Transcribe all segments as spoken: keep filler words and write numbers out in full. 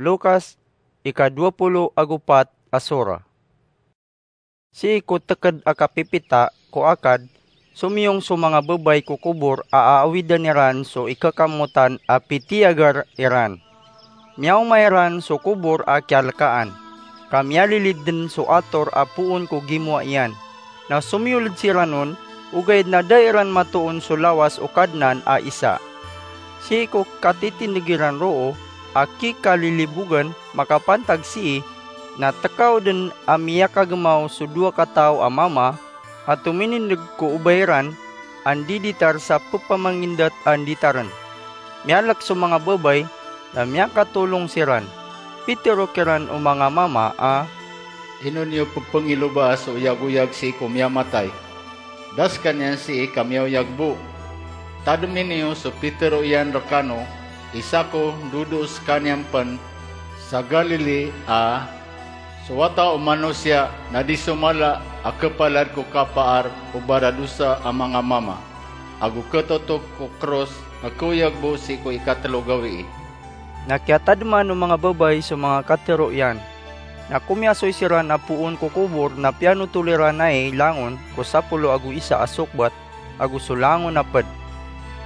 Lukas, ika dowa polo ago pat a sura. Sii ko teked a kapipita ko akad, somiyong so manga babay ko kobor a aawidan iran so ikakamotan a pitiyagar iran. Miyaoma iran so kobor a kiyalekaan, ka miyalilid den so ator a poon ko gimowa iyan. Na somiyoled siran on, ogaid na da iran matoon so lawas o Kadnan a isa. Sii ko katitindeg iran roo a kikalilibogan makapantag sii, na tekaw den a miyakagemaw so dowa kataw a mama a tominindeg ko obay ran a ndiditar sa pepamangindet a nditaren. Miyalek so manga babay, na miyakatolong siran. Pitero kiran o manga mama a, "Ino niyo pepengilobaa so oyagoyag sii ko miyamatay? Da sekaniyan sii ka miyaoyag bo. Tademi niyo so pitero iyan rekano, isa ko ndodo sekaniyan pen sa Galili a so Wata o Manosiya na di somala a kepalad ko kapaar o baradosa a manga mama, ago ketotok ko kros a keoyag bo sii ko ikatelo gawii." Na kiyatademan o manga babay so manga katero iyan. Na komiyasoy siran a poon ko kobor na piyanotol iran ai langon ko sapolo ago isa a sokbat ago so langon a ped.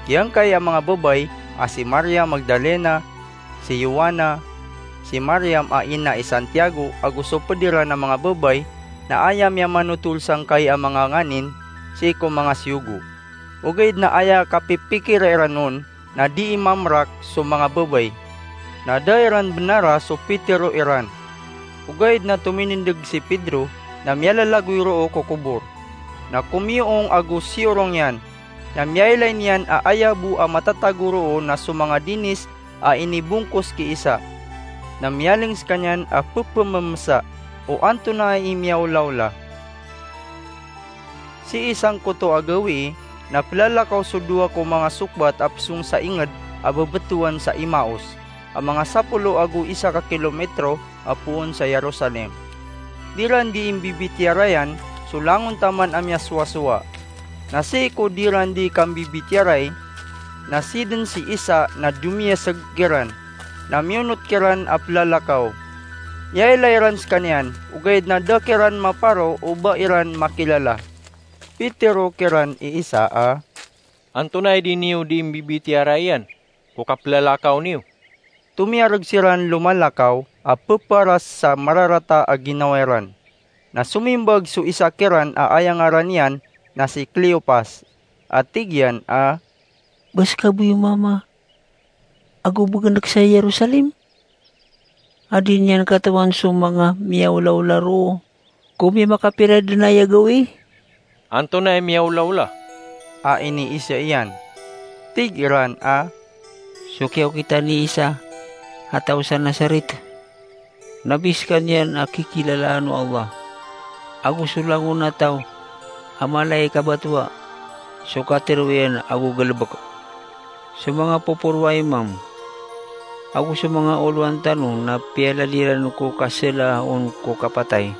Giyangkai a manga babay a si Maria Magdalena, si Joanna, si Mariam a ina i Santiago, ago so ped iran a manga babay na aya miyamanotol sangkai a manga nganin sii ko manga siyogo. Ogaid na aya kapipikira iran on na dii mamrak so manga babay. Na da iran benara so pitero iran. Ogaid na tominindeg si Pedro na miyalalagoy roo ko kobor. Na komiyoong ago siyorong iyan, na miyailay niyan a aya bo a matatago roo na so manga dinis a inibongkos ki isa. Na miyaling sekaniyan a pepememesa o antonaa i miyaolaola. Sii sangkoto a gawii na pelalakaw so dowa ko manga sokbat a pesong sa inged a bebetowan sa Emaus, a manga sapolo ago isa ka kilometro a poon sa Jerusalem. Di ran dii mbibitiyarayan so langon taman a miyasowasowa. Na sii ko di ran dii kambibitiyarai, na sii den si Isa na domiyaseg kiran, na miyonot kiran a pelalakaw. Miyailay ran sekaniyan, ogaid na da kiran maparo o ba iran makilala. Pitero kiran i Isa a, "Antonaa i di niyo dii mbibitiyarai iyan ko kapelalakaw niyo?" Tomiyareg siran lomalakaw a peparas sa mararata a ginawa iran. Na somimbag so isa kiran a aya ngaran iyan na si Cleopas, a tig iyan a, "Ba seka bo iyo mama ago begendek sa Jerusalem? A di niyan katawan so manga miyaolaola roo ko miyamakapira den aya gawii?" "Antonaa i miyaolaola?" a iniisa iyan. Tig iran a, "So kiyaokitan i Isa a taw sa Nazaret. Nabi sekaniyan a kikilalaan o Allah, ago so langon a taw a mala i kabatoa so katero iyan ago galebek. So manga poporo a imam ago so manga oloan tano na piyalad iran ko kasela on ko kapatay,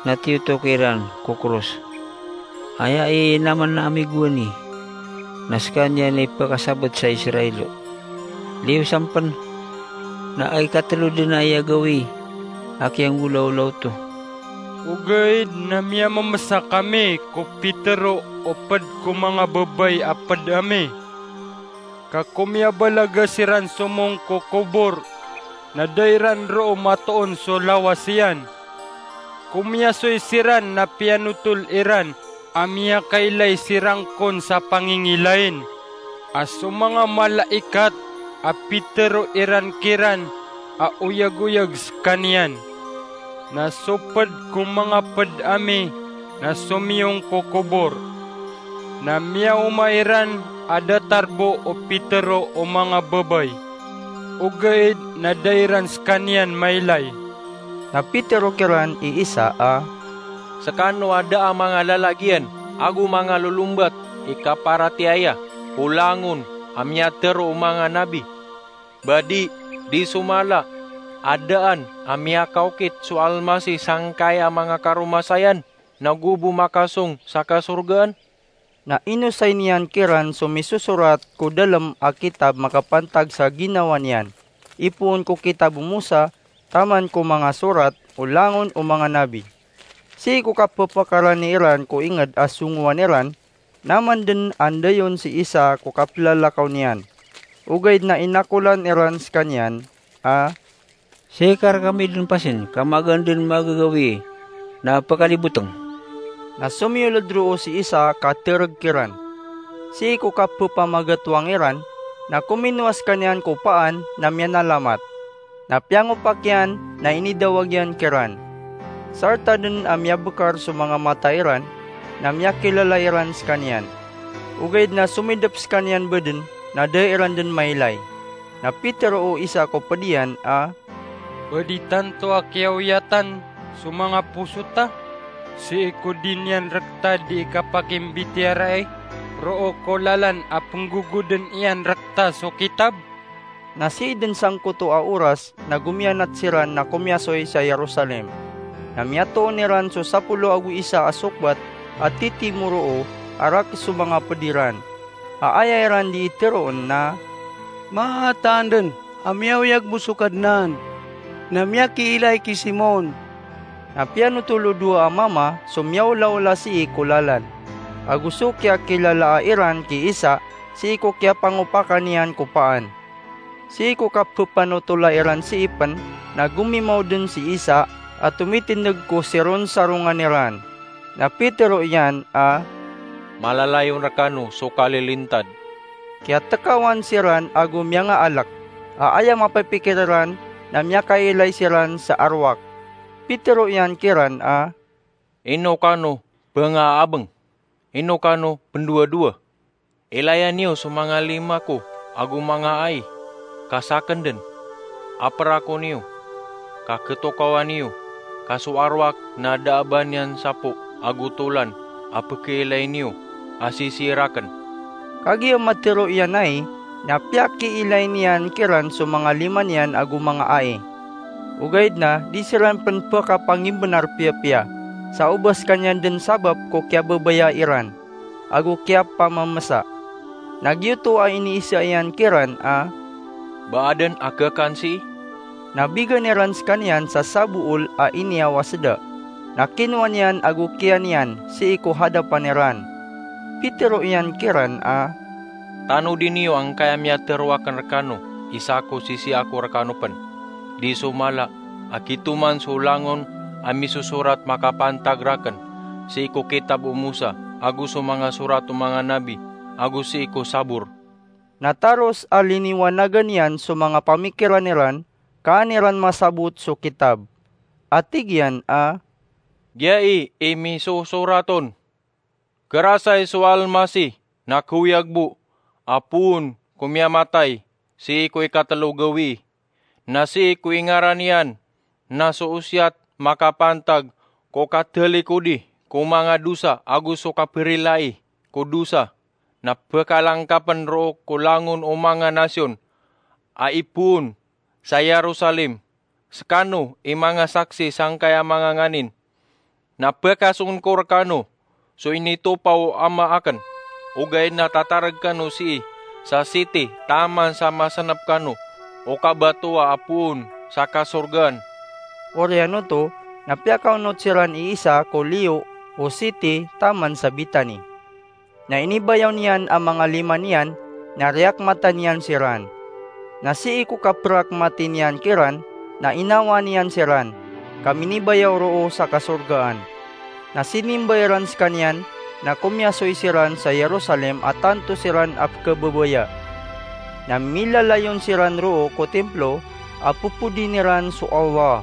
na tiyotok iran ko kros. Aya i inaman ami gowani, na sekaniyan i pekasabet sa Israel. Liyo sampen, na ikatelo den aya gawii a kiyanggolawla oto." Ogaid na miyamemesa kami ko pitero o ped ko manga babay a ped ami. Ka komiyabalaga siran somong ko kobor, na da iran roo matoon so lawas iyan. Komiyasoy siran na piyanotol iran a miyakailay siran kon sa pangingilain, a so manga malaikat a pitero iran kiran a oyagoyag sekaniyan. Na so ped ko manga ped ami na somiyong ko kobor. Na miyaoma iran a datar bo o pitero o manga babay, ogaid na da iran sekaniyan mailay. Na pitero kiran i Isa a, "Sekano a da a manga lalagiyan ago manga lolombat i kaparatiyaya ko langon a miyatero o manga nabi. Ba di, di somala a daan a miyakaokit so Almasih sangkai a manga karomasayan na go bo makasong sa kasorgaan?" Na inosay niyan kiran so misosorat ko dalem a kitab makapantag sa ginawa niyan. ipoon ko kitab o Mosa taman ko manga sorat o langon o manga nabi. Sii ko kaphapakarani iran ko inged a songowan iran, na man den andayon si Isa ko kaplalakaw niyan. Ogaid na inakolan iran sekaniyan a, "Sii ka rekami den pasin ka magaan den magagawii na pekaliboteng." Na somiyoled roo si Isa ka tereg kiran. Sii ko kaphapamagatoang iran, na kominowa sekaniyan ko paan na miyanalamat. Na piyangopak iyan na inidawag iyan kiran. Sarta den a miyabekar so manga mata iran, na miyakilala iran sekaniyan. Ogaid na somidep sekaniyan bo den, na da iran den mailay. Na pitero o isa ko ped iyan a, "Ped i tanto a kiyaoyatan so manga poso ta, sii ko di niyan rekta di ikapakimbitiyarai roo ko lalan a penggogoden iyan rekta so kitab?" Na sii den sangkoto a oras na gomiyanat siran na komiyasoy sa Jerusalem. Na miyatoon iran so sapolo ago isa a sokbat a titimo roo a rakes so manga ped iran. A aya iran di iteroon na, "Mataan den a miyaoyag bo so Kadnan, na miyakiilay ki Simon." Na piyanotol o dowa a mama so miyaolaola sii ko lalan, ago so kiyakilalaa iran ki Isa sii ko kiyapangopakan iyan ko paan. Sii ko kaphapanotola iran sii pen na gomimaw den si Isa a tomitindeg ko sironsarongan iran. Na pitero iyan a, "Malalayon rekano so kalilintad." Kiyatekawan siran ago miyangaalek, a aya mapipikir iran na miyakailay siran sa arowak. Pitero iyan kiran a, "Ino kano bengaabeng? Ino kano pendowadowa? Ilaya niyo so manga lima ko ago manga ai, ka saken den. Aperako niyo, ka ketokawan iyo, ka so arowak na da a ba niyan sapo ago tolan a pekeilay niyo a sisii raken." Kagiya matero iyan ai, na piyakiilay niyan kiran so manga lima niyan ago manga ai. Ogaid na di siran pen pekapangimbenar piyapiya, sa o ba sekaniyan den sabap ko kiyababaya iran ago kiyapamamesa. Na giyoto a iniisa iyan kiran a, "Ba aden a kekan sii?" Na bigan iran sekaniyan sa sabool a iniyawas da. Na kinowa niyan ago kiyan iyan sii ko hadapan iran. Pitero iyan kiran a, "Tanodi niyo angkaya miyatero aken rekano i sako sisii ako rekano pen. Di so mala a gitoman so langon a misosorat makapantag raken sii ko kitab o Mosa ago so manga sorat o manga nabi ago sii ko Sabor." Na taros a liniwanagan iyan so manga pamikiran iran, ka an iran masabot so kitab. A tig iyan a, "Giyai i misosorat on: Kerasay so Almasih na keoyag bo a poon ko miyamatay sii ko ikatelo gawii, na sii ko ingaran iyan na so osiyat makapantag ko katalikodi ko manga dosa ago so kaperilai ko dosa, na pekalangkapen roo ko langon o manga nasiyon a ipoon sa Jerusalem. Sekano i manga saksi sangkaya manga nganin. Na pekasongen ko rekano so initopa o Ama aken, ogaid na tatareg kano sii sa siti taman sa masenep kano o kabatowa a poon sa kasorgaan." Oriyan oto, na piyakaonot siran i Isa ko liyo o siti taman sa Betani. Na inibayaw niyan a manga lima niyan, na riyakmatan iyan siran. Na sii ko kaperakmati niyan kiran, na inawaan iyan siran, ka minibayaw roo sa kasorgaan. Na sinimba iran sekaniyan, na komiyasoy siran sa Jerusalem a tanto siran a pekhababaya. Na milalayon siran roo ko Templo a popodin iran so Allah.